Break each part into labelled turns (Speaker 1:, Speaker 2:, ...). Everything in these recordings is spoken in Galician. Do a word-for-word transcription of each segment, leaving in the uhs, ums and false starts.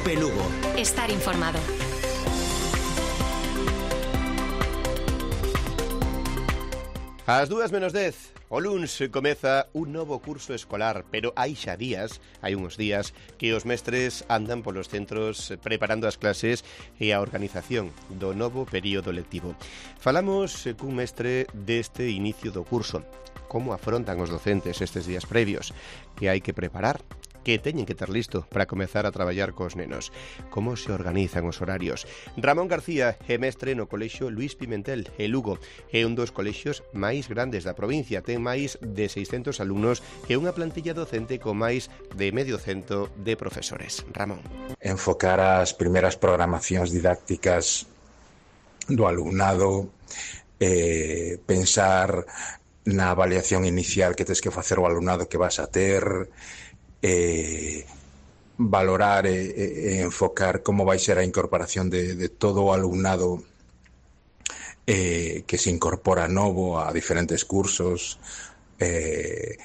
Speaker 1: Cope Lugo.
Speaker 2: Estar informado.
Speaker 3: Ás dúas menos dez, o luns comeza un novo curso escolar, pero hai xa días, hai uns días, que os mestres andan polos centros preparando as clases e a organización do novo período lectivo. Falamos cun mestre deste inicio do curso. Como afrontan os docentes estes días previos? Que hai que preparar? Que teñen que ter listo para comezar a traballar cos nenos? Como se organizan os horarios? Ramón García é mestre no colexio Luís Pimentel, en Lugo. É un dos colexios máis grandes da provincia. Ten máis de seiscentos alumnos e unha plantilla docente con máis de medio cento de profesores. Ramón.
Speaker 4: Enfocar as primeiras programacións didácticas do alumnado, eh, pensar na avaliación inicial que tes que facer o alumnado que vas a ter, Eh, valorar e, e enfocar como vai ser a incorporación de, de todo o alumnado eh, que se incorpora novo a diferentes cursos, eh,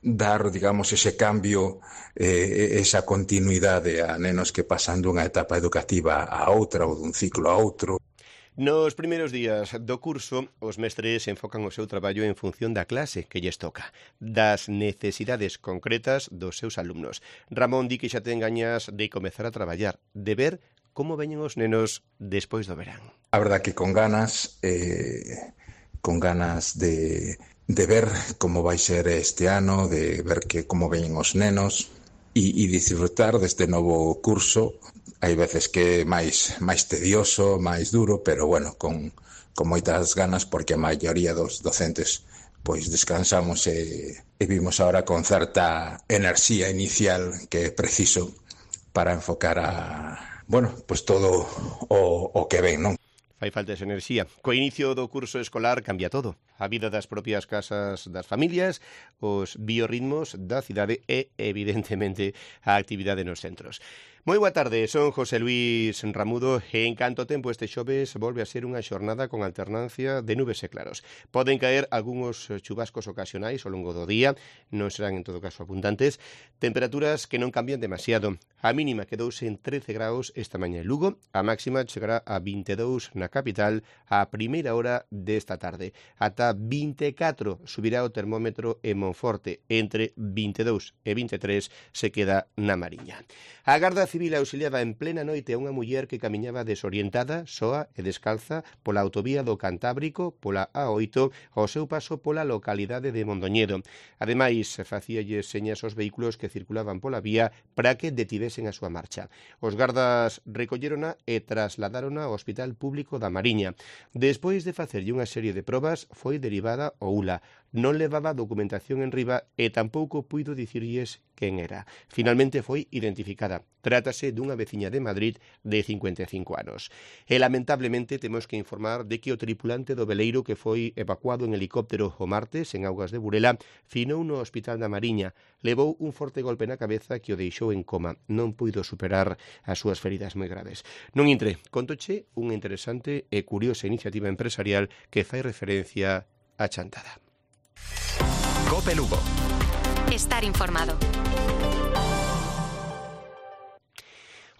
Speaker 4: dar, digamos, ese cambio, eh, esa continuidade a nenos que pasan dunha etapa educativa a outra ou dun ciclo a outro.
Speaker 3: Nos primeiros días do curso, os mestres enfocan o seu traballo en función da clase que lles toca, das necesidades concretas dos seus alumnos. Ramón di que xa ten gañas de comezar a traballar, de ver como veñen os nenos despois do verán.
Speaker 4: A verdad que con ganas, eh, con ganas de, de ver como vai ser este ano, de ver que como veñen os nenos e, e disfrutar deste novo curso. Hai veces que é máis, máis tedioso, máis duro, pero bueno, con, con moitas ganas, porque a maioría dos docentes pois descansamos e, e vimos ahora con certa enerxía inicial que é preciso para enfocar a, bueno, pois todo o, o que ven, non?
Speaker 3: Fai falta esa enerxía. Co inicio do curso escolar cambia todo. A vida das propias casas das familias, os biorritmos da cidade e, evidentemente, a actividade nos centros. Moi boa tarde, son José Luís Ramudo e en canto tempo este xoves volve a ser unha xornada con alternancia de nubes e claros. Poden caer algúns chubascos ocasionais ao longo do día, non serán en todo caso abundantes, temperaturas que non cambian demasiado. A mínima quedouse en trece graus esta mañá en Lugo, a máxima chegará a vinte e dous na capital a primeira hora desta tarde. Ata vinte e catro subirá o termómetro en Monforte, entre vinte e dous e vinte e tres se queda na Mariña. A Garda Civil auxiliaba en plena noite a unha muller que camiñaba desorientada, soa e descalza pola autovía do Cantábrico, pola A oito, ao seu paso pola localidade de Mondoñedo. Ademais, facíalles señas aos vehículos que circulaban pola vía para que detivesen a súa marcha. Os gardas recollérona e trasladárona ao Hospital Público da Mariña. Despois de facerlle unha serie de probas, foi derivada ao U L A. Non levaba documentación en riba e tampouco puido dicirlles quen era. Finalmente foi identificada. Trátase dunha veciña de Madrid de cincuenta e cinco anos. E lamentablemente temos que informar de que o tripulante do veleiro que foi evacuado en helicóptero o martes en augas de Burela finou no Hospital da Mariña. Levou un forte golpe na cabeza que o deixou en coma. Non puido superar as súas feridas moi graves. Non intre, contoche unha interesante e curiosa iniciativa empresarial que fai referencia á chantada.
Speaker 1: Cope Lugo.
Speaker 2: Estar informado.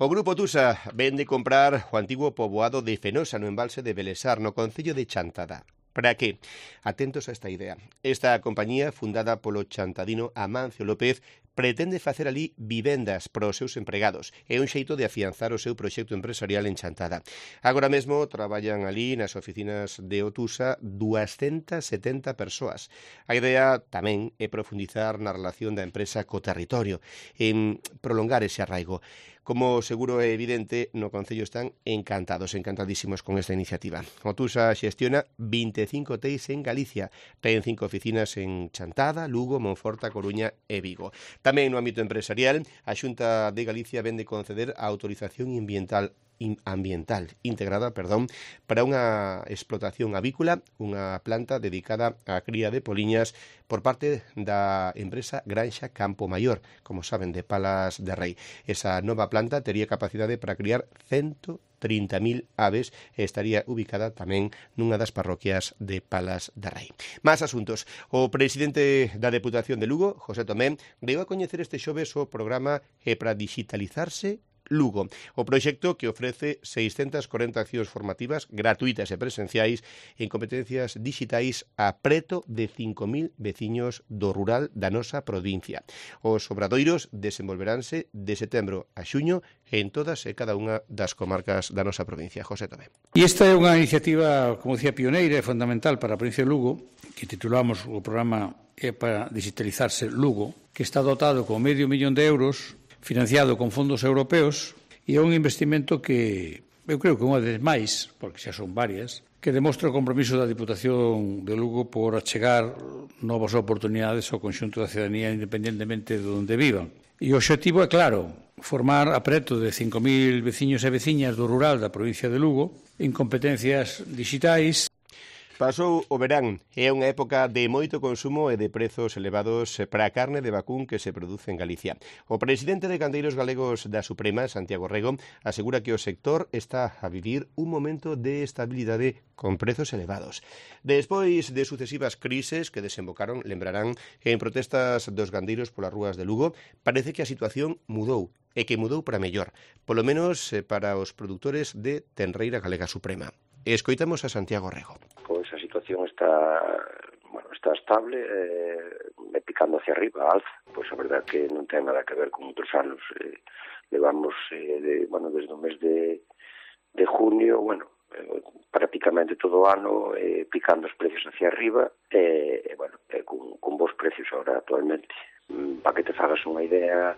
Speaker 3: O Grupo Tusa vende comprar o antigo poboado de Fenosa no embalse de Belesar, no concello de Chantada. Para que? Atentos a esta idea. Esta compañía, fundada polo chantadino Amancio López, pretende facer ali vivendas para os seus empregados. É un xeito de afianzar o seu proxecto empresarial en Chantada. Agora mesmo traballan ali nas oficinas de Otusa doscientas setenta persoas. A idea tamén é profundizar na relación da empresa co territorio, en prolongar ese arraigo. Como seguro é evidente, no Concello están encantados, encantadísimos con esta iniciativa. Otusa xestiona vinte e cinco hotéis en Galicia. Ten cinco oficinas en Chantada, Lugo, Monforte, Coruña e Vigo. Tamén no ámbito empresarial, a Xunta de Galicia vende conceder a autorización ambiental ambiental integrada, perdón, para unha explotación avícola, unha planta dedicada á cría de poliñas por parte da empresa Granxa Campo Maior, como saben, de Palas de Rei. Esa nova planta tería capacidade para criar cento trinta mil aves e estaría ubicada tamén nunha das parroquias de Palas de Rei. Más asuntos. O presidente da Deputación de Lugo, José Tomé, deu a coñecer este xoves o programa E para Digitalizarse Lugo, o proxecto que ofrece seiscentas corenta accións formativas gratuitas e presenciais en competencias digitais a preto de cinco mil veciños do rural da nosa provincia. Os obradoiros desenvolveránse de setembro a xuño en todas e cada unha das comarcas da nosa provincia. José Tomé.
Speaker 5: E esta é unha iniciativa, como decía, pioneira e fundamental para a provincia de Lugo, que titulamos o programa E para Digitalizarse Lugo, que está dotado con medio millón de euros, financiado con fondos europeos, e é un investimento que eu creo que unha vez máis, porque xa son varias, que demostra o compromiso da Diputación de Lugo por achegar novas oportunidades ao conxunto da cidadanía independentemente de onde vivan. E o obxectivo é claro, formar a preto de cinco mil veciños e veciñas do rural da provincia de Lugo en competencias digitais.
Speaker 3: Pasou o verán e é unha época de moito consumo e de prezos elevados para a carne de vacún que se produce en Galicia. O presidente de Gandeiros Galegos da Suprema, Santiago Rego, asegura que o sector está a vivir un momento de estabilidade con prezos elevados. Despois de sucesivas crises que desembocaron, lembrarán, en protestas dos gandeiros polas rúas de Lugo, parece que a situación mudou e que mudou para mellor, polo menos para os produtores de Tenreira Galega Suprema. Escoitamos a Santiago Rego.
Speaker 6: Pois a situación está, bueno, está estable, eh, picando hacia arriba, alza. Pois a verdade que non ten nada que ver con outros anos. Eh, levamos, eh, de, bueno, desde o mes de, de junio, bueno, eh, prácticamente todo o ano eh, picando os precios hacia arriba, e, eh, bueno, eh, con, con bons precios agora actualmente. Mm, para que te fagas unha idea,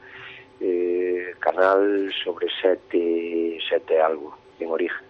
Speaker 6: eh, canal sobre sete, sete algo en origen.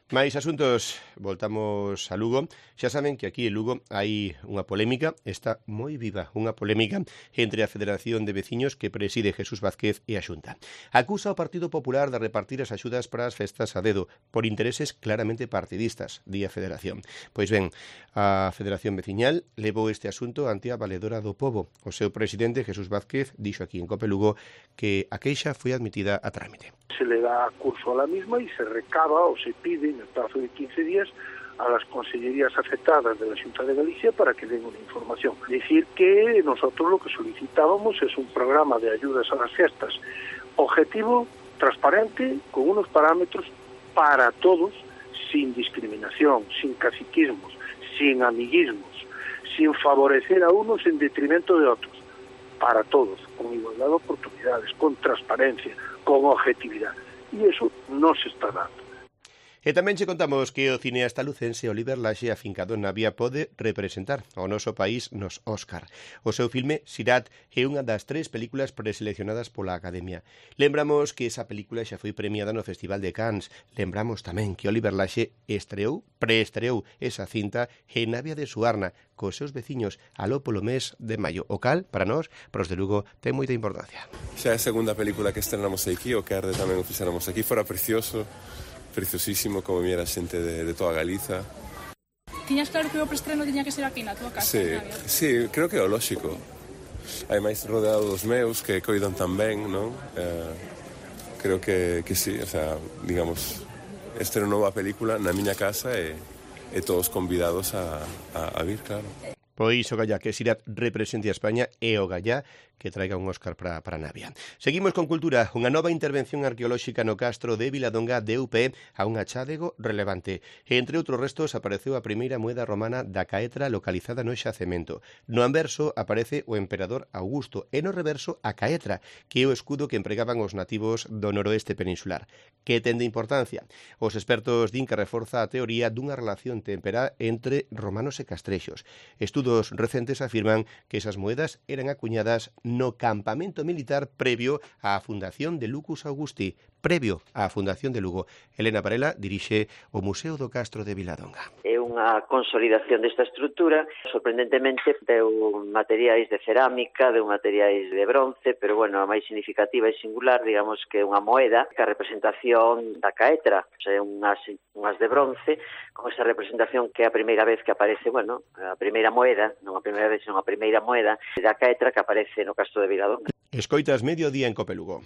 Speaker 3: Mais asuntos, voltamos a Lugo. Xa saben que aquí en Lugo hai unha polémica, está moi viva, unha polémica entre a Federación de Veciños que preside Jesús Vázquez e a Xunta. Acusa o Partido Popular de repartir as axudas para as festas a dedo por intereses claramente partidistas, di a Federación. Pois ben, a Federación Veciñal levou este asunto ante a Valedora do Pobo. O seu presidente, Jesús Vázquez, dixo aquí en Cope Lugo que a queixa foi admitida a trámite.
Speaker 7: Se le da curso a la misma y se recaba o se pide en el plazo de quince días a las consellerías afectadas de la Xunta de Galicia para que den una información. Es decir, que nosotros lo que solicitábamos es un programa de ayudas a las fiestas objetivo, transparente, con unos parámetros para todos, sin discriminación, sin caciquismos, sin amiguismos, sin favorecer a unos en detrimento de otros, para todos, con igualdad de oportunidades, con transparencia, con objetividad. Y eso no se está dando.
Speaker 3: E tamén che contamos que o cineasta lucense Oliver Laxe, afincado en Navia, pode representar ao noso país nos Óscar. O seu filme, Sirat, é unha das tres películas preseleccionadas pola Academia. Lembramos que esa película xa foi premiada no Festival de Cannes. Lembramos tamén que Oliver Laxe estreou, preestreou esa cinta en Navia de Suarna, cos seus veciños aló polo mes de maio. O cal, para nós, pros de Lugo, ten moita importancia.
Speaker 8: Xa é a segunda película que estrenamos aquí, o que arde tamén o fixéramos aquí, fora precioso, preciosísimo, como viera a xente de, de toda Galiza.
Speaker 9: Tiñas claro que o preestreno tiña que ser aquí na tua casa?
Speaker 8: Sí, sí, creo que é o lóxico. Ademais, rodeado dos meus, que coidan tan ben, non? Eh, creo que, que sí, o sea, digamos, esta é unha nova película na miña casa e, e todos convidados a, a, a vir, claro.
Speaker 3: Pois o gallá que Sirat represente a España e o gallá que traiga un Óscar para, para Navia. Seguimos con cultura. Unha nova intervención arqueolóxica no castro de Viladonga deu pé a un achádego relevante. Entre outros restos apareceu a primeira moeda romana da Caetra localizada no xacemento. No anverso aparece o emperador Augusto e no reverso a Caetra, que é o escudo que empregaban os nativos do noroeste peninsular. Que ten de importancia? Os expertos din que reforza a teoría dunha relación temperá entre romanos e castrexos. Estudos recentes afirman que esas moedas eran acuñadas no campamento militar previo á fundación de Lucus Augusti, previo á fundación de Lugo. Elena Varela dirixe o Museo do Castro de Viladonga.
Speaker 10: É unha consolidación desta estrutura, sorprendentemente deu materiais de cerámica, deu materiais de bronce, pero bueno, a máis significativa e singular, digamos que é unha moeda, que a representación da Caetra, o sea, unhas, unhas de bronce, con esa representación que é a primeira vez que aparece, bueno, a primeira moeda, non a primeira vez, senón a primeira moeda da Caetra que aparece no Castro de Viladonga.
Speaker 3: Escoitas Mediodía en Cope Lugo.